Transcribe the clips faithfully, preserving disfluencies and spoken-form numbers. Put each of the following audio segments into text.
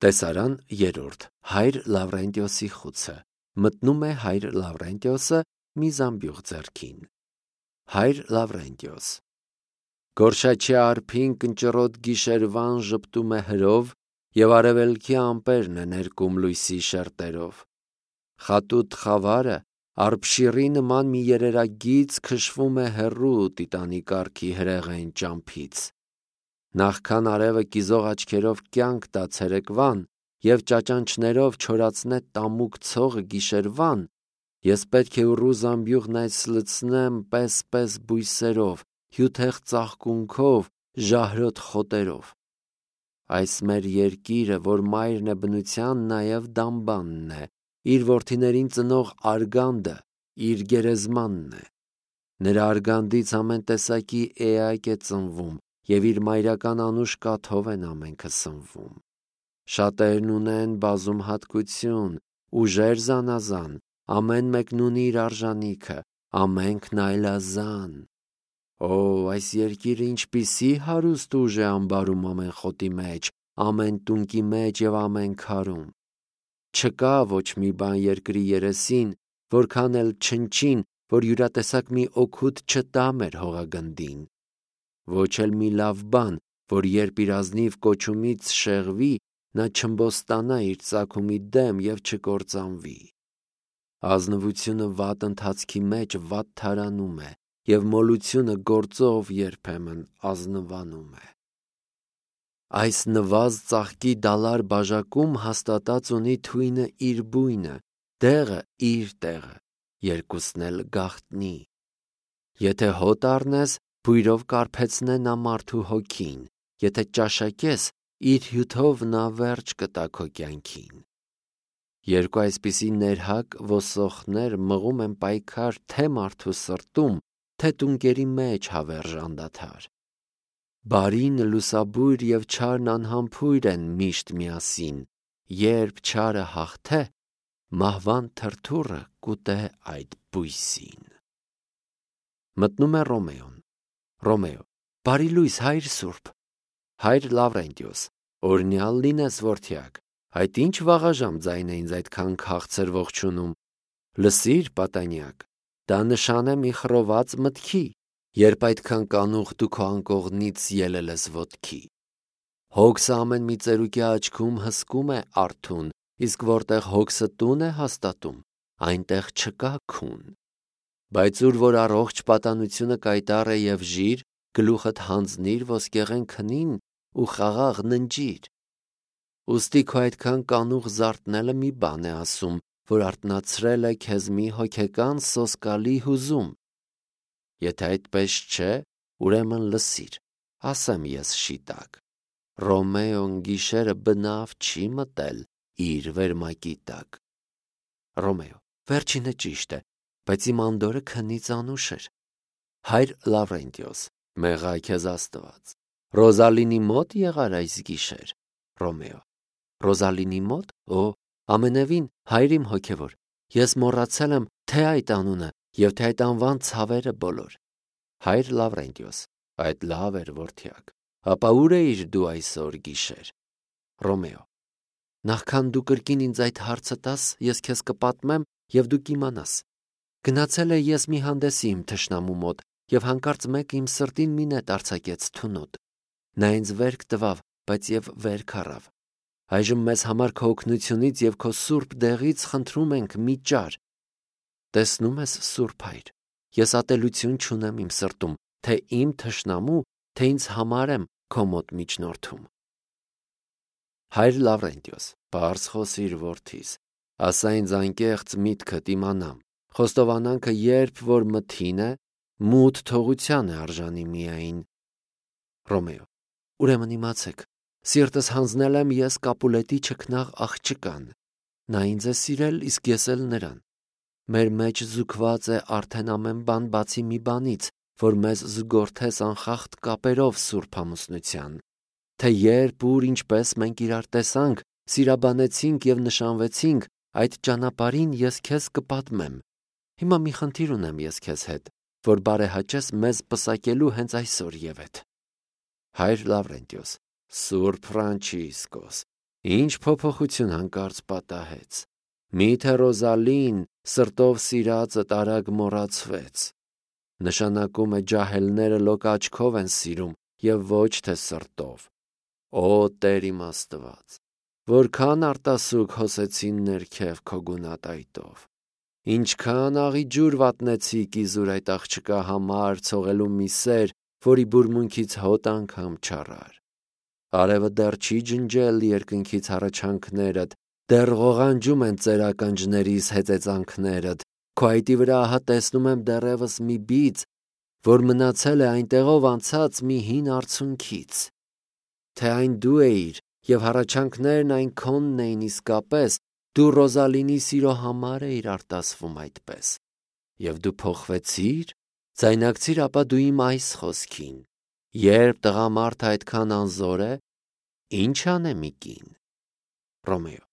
Տեսարան երրորդ. Հայր Լավրենտիոսի խուցը։ Մտնում է հայր Լավրենտիոսը մի զամբյուղ ձեռքին։ Հայր Լավրենտիոս. Գորշաչի արփին կնճռոտ գիշերվան ժպտում է հրով, և արևելքի ամպերն է ներկում լույսի շերտերով։ Խատուտ խավարը արբշիրի նման մի երերագից քշվում է հեռու տիտանի կառքի հրեղեն ճամփից։ Նախքան արևը կիզող աչքերով կյանք տա ցերեկվան և ճաճանչներով չորացնե տամուկ ցողը գիշերվան, ես պետք է ուռու զամբյուղն այս լցնեմ պես-պես բույսերով, հյութեղ ծաղկունքով, ժահրոտ խոտերով։ Այս մեր երկիրը, որ մայրն է բնության, նաև դամբանն է, իր որդիներին ծնող արգանդը, իր գերեզմանն է։ Նրա արգանդից ամեն տեսակի էակ է ծնվում, և իր մայրական անուշ կաթով են ամենքը սնվում։ Շատերն ունեն բազում հատկություն, ուժեր զանազան, ամեն մեկն ունի իր արժանիքը, ամենքն այլազան։ Օ, այս երկիրը ինչպիսի հարուստ ուժ է ամբարում ամեն խոտի մեջ, ամեն տունկի մեջ և ամեն քարում։ Չկա ոչ մի բան երկրի երեսին, որքան էլ չնչին, որ յուրատեսակ մի օգուտ չտա մեր հողագնդին։ Ոչ էլ մի լավ բան, որ երբ իր ազնիվ կոչումից շեղվի, նա չըմբոստանա իր ծագումի դեմ և չկործանվի։ Ազնվությունը վատ ընթացքի մեջ վատ թարանում է, և մոլությունը գործով երբեմն ազնվանում է։ Այս նվազ ծաղկի դալար բաժակում հաստատած ունի թույնը իր բույնը, դեղը իր տեղը, երկուսն էլ գաղտնի։ Եթե հոտ առնես, բույրով կարբեցնե նա մարդու հոգին, եթե ճաշակես, իր հյութով նա վերջ կտա քո կյանքին։ Երկու այսպիսի ներհակ ոսոխներ մղում են պայքար թե մարդու սրտում, թե տունկերի մեջ հավերժ անդադար։ Բարին լուսաբույր և չարն անհամբույր են միշտ միասին, երբ չարը հաղթե, մահվան թրթուրը կուտե այդ բույսին։ Մտնում է Ռոմեոն. Ռոմեո. Բարի լույս, հայր սուրբ։ Հայր Լավրենտիոս. Օրհնյալ լինես, որդյակ, այդ ինչ վաղաժամ ձայն է ինձ այդքան քաղցր ողջունում։ Լսիր, պատանյակ, դա նշան է մի խռոված մտքի, երբ այդքան կանուխ դու քո անկողնից ելել ես ոտքի։ Հոգսը ամեն մի ծերուկի աչքում հսկում է արթուն, իսկ որտեղ հոգսը տուն է հաստատում, այնտեղ չկա քուն։ Բայց ուր որ առողջ պատանությունը կայտառ է և ժիր, գլուխդ հանձնիր ոսկեղեն քնին ու խաղաղ ննջիր։ Ուստի քո այդքան կանուխ զարթնելը մի բան է ասում, որ արթնացրել է քեզ մի հոգեկան սոսկալի հուզում։ Եթե այդպես չէ, ուրեմն լսիր, ասեմ ես շիտակ. Ռոմեոն գիշերը բնավ չի մտել իր վերմակի տակ։ Ռոմեո. Վերջինը ճիշտ է, բայց իմ անդորրը քնից անուշ էր։ Հայր Լավրենտիոս. Մեղա քեզ Աստված։ Ռոզալինի մոտ եղար այս գիշեր։ Ռոմեո. Ռոզալինի մոտ, օ, ամենևին, հայր իմ հոգևոր, ես մոռացել եմ թե այդ անունը և թե այդ անվան ցավերը բոլոր։ Հայր Լավրենտիոս. Այդ լավ էր, որդյակ, ապա ուր էիր դու այսօր գիշեր։ Ռոմեո. Նախքան դու կրկին ինձ այդ հարցը տաս, ես քեզ կպատմեմ, և դու կիմանաս։ Գնացել էի ես մի հանդեսի իմ թշնամու մոտ, և հանկարծ մեկը իմ սրտին մի նետ արձակեց թունոտ։ Նա ինձ վերք տվավ, բայց և վերք առավ։ Այժմ մեզ համար քո օգնությունից և քո սուրբ դեղից խնդրում ենք մի ճար։ Տեսնում ես, սուրբ հայր, ես ատելություն չունեմ իմ սրտում, թե իմ թշնամու, թե ինձ համար եմ քո մոտ միջնորդում։ Հայր Լավրենտիոս, պարզ խոսիր որդիս, ասա ինձ անկեղծ միտքդ իմանամ, խոստովանանքը երբ որ մթին է, մութ թողության է արժանի միայն։ Ռոմեո. Ուրեմն իմացեք, սիրտս հանձնել եմ ես Կապուլետի չքնաղ աղջկան։ Նա ինձ է սիրել, իսկ ես էլ նրան։ Մեր մեջ զուգված է արդեն ամեն բան բացի մի բանից, որ մեզ զուգորդես անխախտ կապերով սուրբ ամուսնության։ Թե երբ, ուր, ինչպես մենք իրար տեսանք, սիրաբանեցինք և նշանվեցինք, այդ ճանապարհին ես քեզ կպատմեմ։ Հիմա մի խնդիր ունեմ ես քեզ հետ, որ բարեհաճես մեզ պսակելու հենց այսօր ևեթ։ Հայր Լավրենտիոս. Սուրբ Ֆրանչիսկոս, Ինչ փոփոխություն հանկարծ պատահեց։ Միթե Ռոզալին սրտով սիրածը տարագ մոռացվեց։ Նշանակում է ջահելները լոկ աչքով են սիրում և ոչ թե սրտով։ Օ Տեր իմ Աստված, որքան արտասուք հոսեցին ներքև քո գունատայտով։ Ինչքան աղի ջուր վատնեցիք իզուր այդ աղջկա համար ցողելու մի սեր, որի բուրմունքից հոտ անգամ չառար։ Արևը դեռ չի ջնջել երկնքից հառաչանքներդ, դեռ ղողանջում են ծեր ականջներիս հեծեծանքներդ, քո այտի վրա ահա տեսնում եմ դեռևս մի բիծ, որ մնացել է այնտեղով անցած մի հին արցունքից։ Թե այն դու էիր և հառաչանքներն այն քոնն էին իսկապես, դու Ռոզալինի սիրո համար էիր արտասվում այդպես։ Եվ դու փոխվեցիր, ձայնակցիր ապա դու իմ այս խոսքին. երբ տղամարդը այդքան անզոր է, ի՞նչ անեմ ի կին։ Ռոմեո.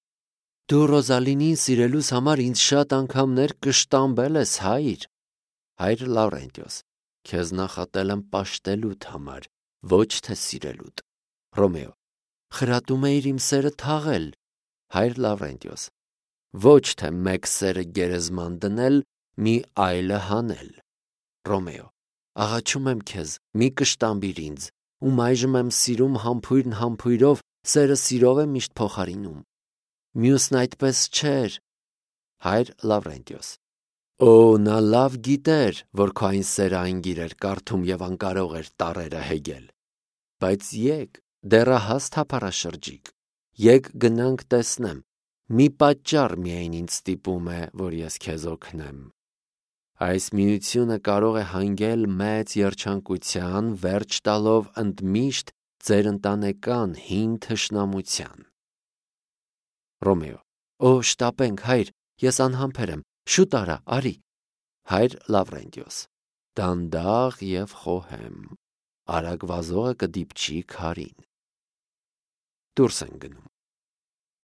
Դու Ռոզալինին սիրելուս համար ինձ շատ անգամներ կշտամբել ես, հայր։ Հայր Լավրենտիոս. Քեզ նախատել եմ պաշտելուդ համար, ոչ թե սիրելուդ։ Ռոմեո. խրատում էիր իմ սերը թաղել։ Հայր Լավրենտիոս. ոչ թե մեկ սերը գերեզման դնել, մի այլը հանել։ Ռոմեո. աղաչում եմ քեզ, մի կշտամբիր ինձ, ում այժմ եմ սիրում համբույրն համբույրով, սերը սիրով է միշտ փոխարինում։ Մյուսն այդպես չէր։ Հայր Լավրենտիոս. Օ, նա լավ գիտեր, որ քո այն սերը անգիր էր կարդում և անկարող էր տառերը հեգել։ Բայց եկ, դեռահաս թափառաշրջիկ, եկ գնանք տեսնեմ, մի պատճառ միայն ինձ ստիպում է, որ ես քեզ օգնեմ։ Այս միությունը կարող է հանգել մեծ երջանկության, վերջ տալով ընդմիշտ ձեր ընտանեկան հին թշնամության։ Ռոմեո. Օ, շտապենք, հայր, ես անհամբեր եմ, շուտ արա, արի։ Հայր Լավրենտիոս. դանդաղ և խոհեմ, արագ վազողը կդիպչի քարին։ Դուրս են գնում։